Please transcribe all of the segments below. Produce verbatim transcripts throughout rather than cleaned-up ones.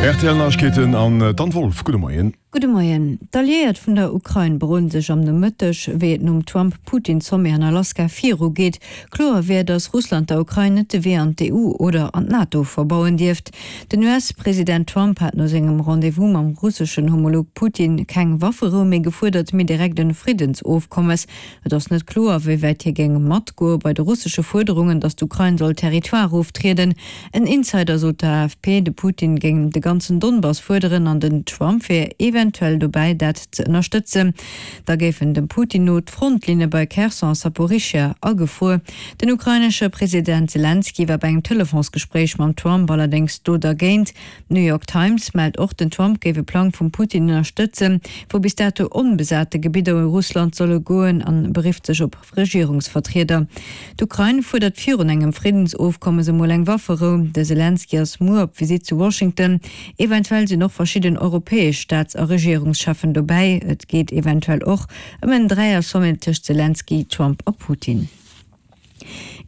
R T L Neiegkeeten an d'Anne Wolff. Gudde Moien. Gudde Moien. D'Alliéiert vun der Ukrain beroden sech am Nomëtteg, wéi et nom Trump-Putin-Sommet an Alaska viru geet. Kloer wär, datt Russland der Ukrain net de Wee an d'E U oder an d'NATO verbauen dierft. Den U S-President Trump hat no sengem Rendez-vous mam russeschen Homolog Putin keng Wafferou méi gefuerdert, mee direkt e Friddensofkommes. Et ass net kloer, wéi wäit hie géing matgoe bei de russesche Fuerderungen, datt d'Ukrain soll Territoire oftrieden. En Insider sot der A F P, de Putin géing de ganzen Donbass fuerderen an den Trump wier eventuell dobäi, dat ze ënnerstëtzen. Da géifen dem Putin no d'Frontlinne bei Kherson a Saporischschja agefruer. Den ukrainesche President Selenskyj war bei engem Telefonsgespréich mam Trump allerdéngs do dergéint. D'New York Times mellt och, den Trump géif e Plang vum Putin ënnerstëtzen, wou bis dato onbesate Gebidder u Russland solle goen, an berifft sech op Regierungsvertrieder. D'Ukrain fuerdert virun engem Friddensofkommes emol eng Wafferou. De Selenskyj ass muer op Visitt zu Washington. Eventuell sinn och verschidden europäesch Staats a Regierungscheffen dobäi. Et geet eventuell och ëm en Dräier-Sommet tëscht Selenskyj, Trump a Putin.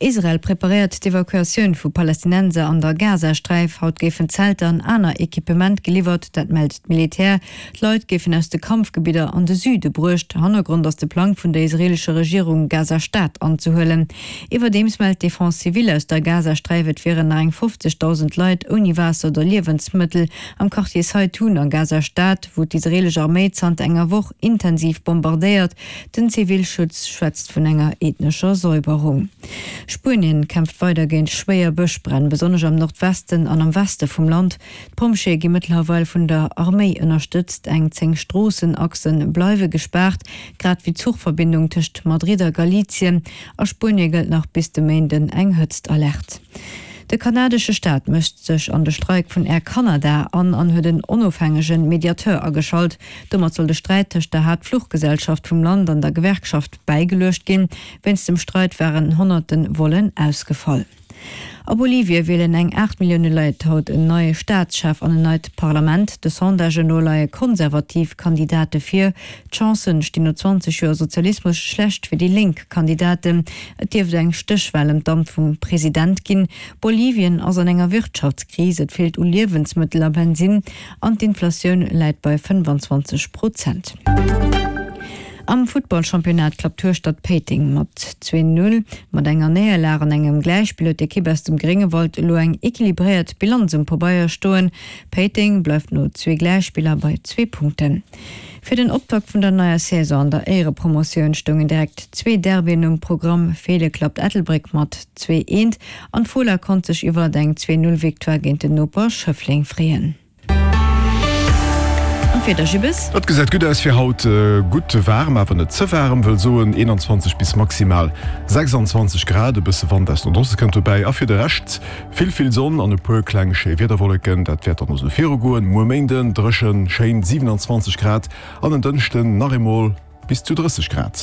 Israel preparéiert d'Evakuatioun vu Palästinenser an der Gazasträif. Haut géifen Zelter an aner Equipement geliwwert, dat mellt d'Militär. D'Leit géifen aus de Kampfgebidder an de Süde bruecht. Hannergrond ass de Plang vun der israeelescher Regierung, Gaza-Stad anzehuelen. Iwwerdeems mellt d'Defense civile aus der Gazasträif, et wieren nach eng fofzegdausend Leit ouni Waasser oder Liewensmëttel am Quartier Saitun a Gaza-Stad, wou d'israeelesch Arméi zanter enger Woch intensiv bombardéiert. Den Zivilschutz schwätzt vun enger ethnescher Säuberung. Spuenien kämpft weider géint schwéier Bëschbränn, besonnesch am Nordwesten an am Weste vum Land. D'Pompjeeë gi mëttlerweil vun der Arméi ënnerstëtzt. Eng zéng Stroossenachse bleiwe gespaart, grad wéi d'Zuchverbindung tëscht Madrid a Galicien. A Spuenie gëllt nach bis de Méinden eng Hëtztalerte. De kanadesche Staat mëscht sech an de Streik vun Air Canada an an huet en onofhängege Mediateur ageschalt. Domat soll de Sträit tëscht der Haaptfluchgesellschaft vum Land an der Gewerkschaft bäigeluecht ginn. Wéinst dem Streit waren honnerte Vollen ausgefall. A Bolivie wielen eng aacht Millioune Leit haut en neie Staatschef an en neit Parlament. De Sondagen no leie konservativ Kandidate vir. D'Chancen stinn no zwanzeg Joer Sozialismus schlecht fir déi lénk Kandidaten. Et dierft eng Stéchwal ëm d'Amt vum President ginn. Bolivien ass an enger Wirtschaftskris, et feelt u Liewensmëttel a Bensinn an d'Inflatioun läit bei fënnefanzwanzeg Prozent. Am Futtballchampionnat klappt Hueschtert Péiteng mat zwee Null. Mat enger Néierlag an engem Gläichspill huet d'Ekipp aus dem Gréngewald elo eng equilibréiert Bilanz um Pabeier stoen. Péiteng bleift no zwee Gläichspiller bei zwee Punkten. Fir den Optakt vun der neier Saison an der Éierepromotioun stoungen direkt zwee Derbyen um Programm. Feele klappt Ettelbréck mat zwee eent an d'Fola konnt sech iwwert eng zwee Null Victoire géint den Noper Schëffleng freeën. An d'Wieder, Jibbes? Et gesäit gutt aus fir haut, gutt waarm, awer net ze waarm, wëll soen eenanzwanzeg bis maximal sechsanzwanzeg Grad. E bësse Wand aus Nordoste kënnt dobäi a fir de Rescht vill, vill Sonn an e puer kleng schéi Wiederwolleken. Dat wäert dann och esou virugoen. Muer Méinden dréchen, schéin siwenanzwanzeg Grad an en Dënschden nach eemol bis zu drësseg Grad.